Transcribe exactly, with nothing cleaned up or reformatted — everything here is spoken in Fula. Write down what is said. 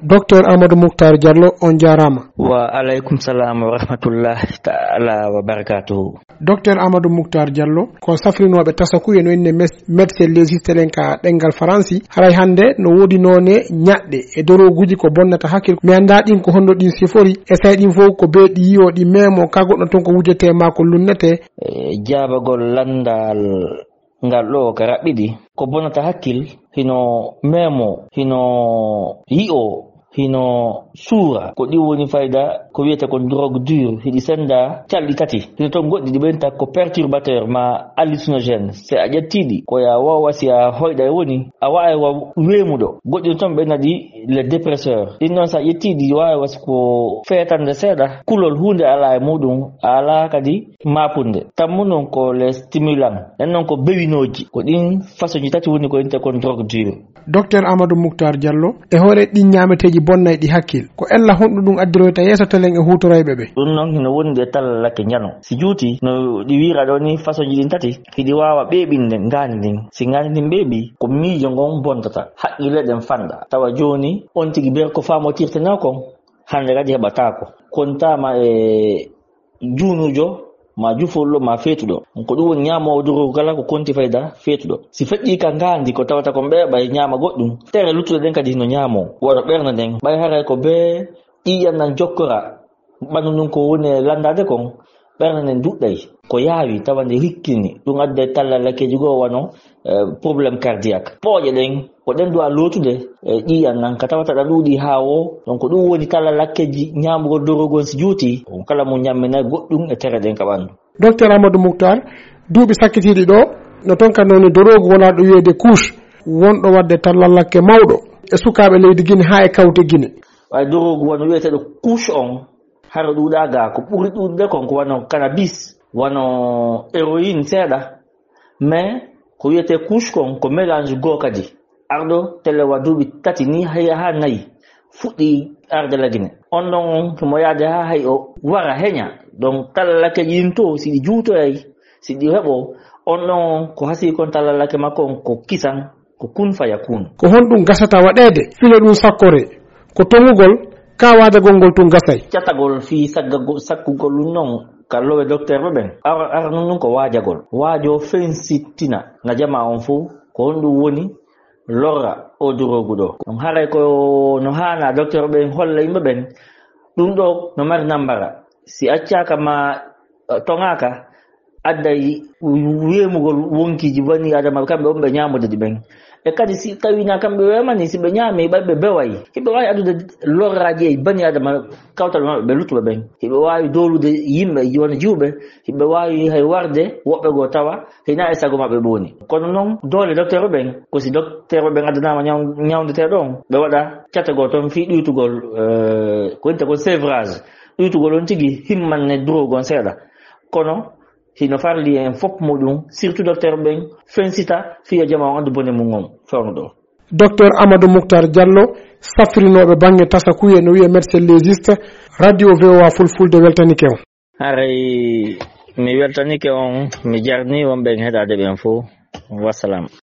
Docteur Amadou Moukhtar Diallo, on jaaraama. Wa aleykum salam wa rahmatullahi taala wa barakatuhu. Docteur Amadou Moukhtar Diallo, ko safrinooɓe tasakuye no inne mes-, médecin légiste ɗen ka ɗenngal Faransi, haray hannde no woodi noone ñaɗɗe e dorooguuji ko bonnata hakkil. Mi anndaa ɗin ko honno ɗin sifori, e say ɗin fof ko bee ɗi yi'o ɗi meemo ka goɗɗo ton ko wujete ma ko lunnete. E jaabagol lanndal ngal ɗo ka raɓɓiɗi, ko bonata hakkil, hino meemo, hino yi'o, hino suura. Ko ɗi woni fayda ko wiyete kon drogue dure, hiɗi senda calɗi tati. Hino ton goɗɗi ɗi ɓenta ko perturbateur ma hallucinogène. Si a ƴetti ɗi, ko ya wawa si a hoyɗa e woni, a wawa wa weemuɗo. Goɗɗi ton ɓe naɗi les dépresseurs. Ɗin non si a ƴetti ɗi wawa si ko feetande seeɗa, kulol huunde ala e muɗum, ala kadi mapunde. Tammu non ko les stimulants. Ɗen non ko bewinooji. Ko ɗin façon ji tati woni ko inte kon drogue dure. Docteur Amadou Moukhtar Diallo, e hoore ɗin ñaameteeji bonnayɗi hakkil, ko ella honɗum ɗum addiroyta yeeso telen e huutoroyɓe ɓe? Ɗum non hino wondi e tallalakke njano. Si juuti, no ɗi wiira ɗo ni façon ji ɗin tati, hiɗi waawa ɓeeɓinde ngaandi ndin. Si ngaandi ndin ɓeeɓi, ko miijo ngon bontata, haqqille ɗen fanɗa. Tawa jooni, on tigi ber ko faamotirtenoo kon, hannde kadi heɓataako. Kontaama e juunuujo, ma jufolɗo, ma feetuɗo. Ko ɗum woni ñaamoowo dorogu kala ko konti fayda feetuɗo. Si feƴƴii ka ngaandi ko tawata kon ɓeeɓay ñaama goɗɗum, tere luttuɗe ɗen kadi no ñaamoo. Wano ɓernde nden, ɓay haray ko bee ƴiiƴan nan jokkora, ɓanndu ndun ko woni e lanndaade kon, ɓernde nden duɗɗay. Ko yaawi tawa nde rikkini, ɗum adday tallalakkeeji goo wano, eh, problème cardiaque. Pooƴe ɗen, ko ɗen duwa lootude, eh, ƴiiƴan nan ka tawata ɗa ɗuuɗi haa woo. Donc ɗum woni tallalakkeeji ñaamugol dorogu on si juuti, on kala mo ñamminay goɗɗum e tere ɗen ka ɓanndu. Docteur Amadou Moukhtar, duuɓi sakkitiiɗi ɗo, no ton ka noni dorogu wonaa ɗo wiyeede couche, wonɗo waɗde tallalakke mawɗo e sukaaɓe leydi Gine haa e kawte Gine. Ɓay dorogu wano wiyeteeɗo couche on, hara ɗuuɗaa gaa, ko ɓuri ɗuuɗude kon ko wano cannabis, wano héroïne seeɗa, mais ko wiyetee couche kon ko mélange goo kadi. Arɗo telewa duuɓi tati ni haa, haa nayi fuɗɗi arde la Gine. On ɗon on himo yaade haa hay o wara heña. Donc tallalakkeeji ɗin to, si ɗi juutoyay, si ɗi heɓo, on ɗon on ko hasii kon tallalake makko on ko kisan, ko kun faya kun. Ko honɗum gasata waɗeede fino ɗum sakkore? Ko toŋugol, ka waajagol ngol tun gasay. Catagol fii saggago-, sakkugol ɗum non ka lowe dokteerɓe ɓen. Ara, ara nun ɗum ko waajagol. Waajo fensittina nga jamaa on fow, ko honɗum woni lorra o dorogu ɗo. Ɗum haray ko no haana dokteerɓe ɓen holla yimɓe ɓen, ɗum ɗo no mari nambara. Si accaaka ma, eh, toŋaaka, adday weemugol wonkiiji bani Adama kamɓe on ɓe ñaamude ɗi ɓen. E kadi si tawii na kamɓe weemani, si ɓe ñaami, ɓay ɓe beway, hiɓe waawi addude lorraaji e bani Adama kawtal maɓɓe ɓe luttuɓe ɓen. Hiɓe waawi doolude yimɓe wona jiwɓe, hiɓe waawi hay warde woɓɓe goo tawa hina e sago maɓɓe ɓe woni. Kono non doole dokteerɓe ɓen, ko si dokteerɓe ɓen addanaama ñaw-, ñawndeteeɗo on, ɓe waɗa cate goo ton fii ɗuytugol, eh, ko wonta ko sevrage, ɗuytugol on tigi himmanne dorogu on seeɗa. Kono hino farli en fof muɗum, surtout docteur ɓen, fensita fiya jama on anndu bone mum on fewno ɗo. Docteur Amadou Moukhtar Diallo, safrinooɓe bannge tasakuye no wiye médecin légiste, radio V O A Fulfulde weltanike on. Haray mi weltanike on, mi jarni wonɓe en heɗaade ɓen fof. Wassalam.